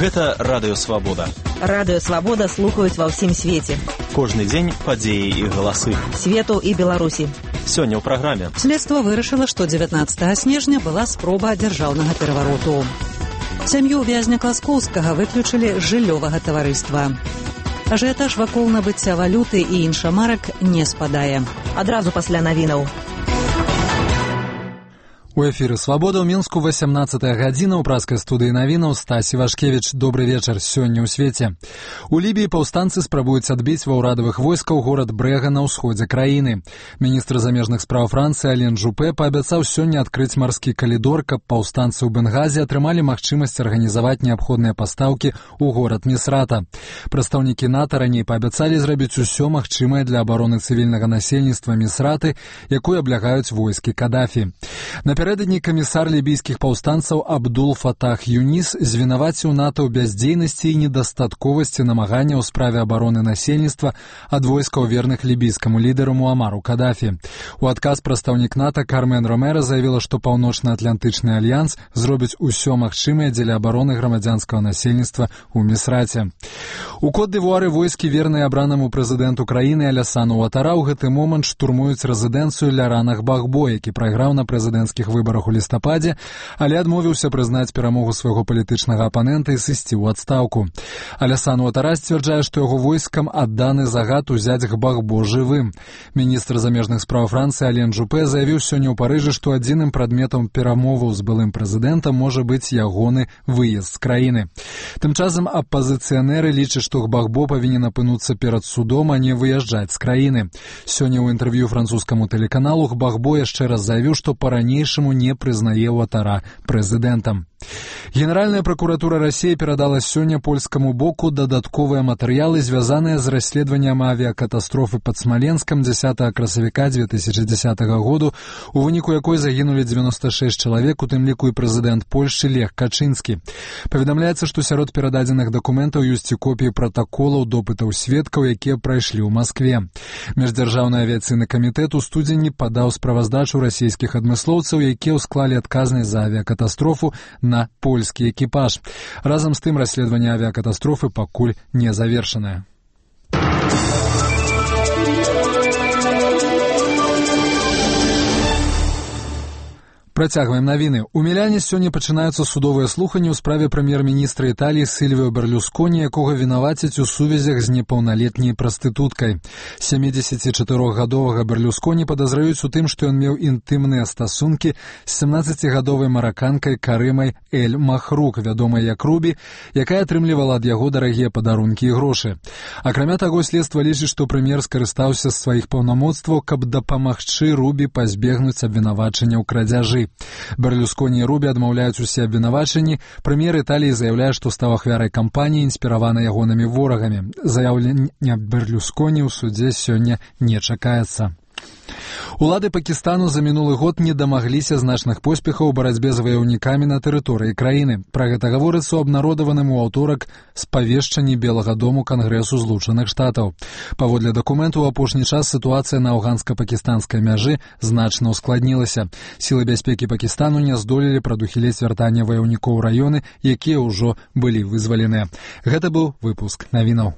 Гэта Радыё Свабода. Радыё Свабода слухаюць ва ўсім свеце. Кожны дзень падзеі і галасы. Свету і Беларусі. Сёння ў праграме. Следства вырашыла, што 19 снежня была спроба дзяржаўнага перавароту. Сям'ю вязня Класкоўскага выключылі з жыллёвага таварыства. Ажыятаж вакол набыцця валюты і іншамарак не спадае. Адразу пасля навінаў. У эфіры «Свабода» ў Мінску 18-я гадзіна. У праскай студыі навінаў Стась Івашкевіч. Добры вечар. Сёння ў свеце. У Лібіі паўстанцы спрабуюць адбіць ва ўрадавых войскаў горад Брэга на ўсходзе краіны. Міністр замежных спраў Францыі Ален Жупе паабяцаў сёння адкрыць марскі калідор, каб паўстанцы ў Бенгазе атрымалі магчымасць арганізаваць неабходныя пастаўкі ў горад Місрата. Прадстаўнікі НАТО раней паабяцалі зрабіць усё магчымае для абароны цывільнага насельніцтва Місраты, якую аблягаюць войскі Кадафі. Напярэдадні камісар лібійскіх паўстанцаў Абдул Фатах Юніс звінаваціў НАТО ў бяздзейнасці і недастатковасці намагання ў справе абароны насельніцтва ад войскаў верных лібійскаму лідару Муамару Кадафі. У адказ прадстаўнік НАТО Кармен Ромера заявіла, што Паўночна-Атлантычны альянс зробіць усё магчымае дзеля абароны грамадзянскага насельніцтва ў Місраце. У Кот-д'Івуары войскі, верныя абранаму прэзідэнту краіны Алясану Уатара, ў гэты момант штурмуюць рэзідэнцыю Ляранах Багбо, які прайграў на прэзідэнцкіх выбарах у лістападзе, але адмовіўся прызнаць перамогу свайго палітычнага апанента і сысці ў адстаўку. Алясан Уатара сцвярджае, што яго войскам адданы загад узяць Багбо жывым. Міністр замежных спраў Францыі Ален Жупе заявіў сёння ў Парыжы, што адзіным прадметам перамоваў з былым прэзідэнтам можа быць ягоны выезд з краіны. Тым часам апазіцыянеры лічаць, што Багбо павінен апынуцца перад судом, а не выязджаць з краіны. Сёння ў інтэрв'ю французскаму тэлеканалу Багбо яшчэ раз заявіў, што па-ранейшаму не прызнае Уатара прэзідэнтам. Генеральная пракуратура Расіі перадала сёння польскаму боку дадатковыя матэрыялы, звязаныя з расследаваннем авіякатастрофы пад Смаленскам 10 красавіка 2010 году, у выніку якой загінулі 96 чалавек, у тым ліку і прэзідэнт Польшчы Лех Качынскі. Паведамляецца, што сярод перададзеных дакументаў ёсць і копіі пратаколаў допытаў сведкаў, якія прайшлі ў Маскве. Міждзяржаўны авіяцыйны камітэт у студзені падаў справаздачу расійскіх адмыслоўцаў, якія ўсклалі адказнасць за авіякатастрофу на польскі экіпаж. Разам з тым расследаванне авіякатастрофы пакуль не завершанае. Працягваем навіны. У Міляне сёння пачынаюцца судовыя слуханні ў справе прэм'ер-міністра Італіі Сільвіо Берлюсконі, якога вінавацяць у сувязях з непаўналетняй прастытуткай. 74-гадовага Берлюсконі падазраюць у тым, што ён меў інтымныя стасункі з 17-гадовай мараканкай Карымай Эль Махрук, вядомай як Рубі, якая атрымлівала ад яго дарагія падарункі і грошы. Акрамя таго, следства лічыць, што прэм'ер скарыстаўся з сваіх паўнамоцтваў, каб дапамагчы Рубі пазбегнуць абвінавачання ў крадзяжы. Берлюсконі і Рубі адмаўляюць усе абвінавачанні. Прэм'ер Італіі заяўляе, што стаў ахвярай кампаніі, інспіраванай ягонымі ворагамі. Заяўлення Берлюсконі ў судзе сёння не чакаецца. Улады Пакістану за мінулы год не дамагліся значных поспехаў у барацьбе з ваяўнікамі на тэрыторыі краіны. Пра гэта гаворыцца ў абнародаваным у аўторак спавешчанні Белага дому Кангрэсу Злучаных Штатаў. Паводле дакументу, у апошні час сітуацыя на афганска-пакістанскай мяжы значна ўскладнілася. Сілы бяспекі Пакістану не здолелі прадухіліць вяртанне ваяўнікоў у раёны, якія ўжо былі вызваленыя. Гэта быў выпуск навінаў.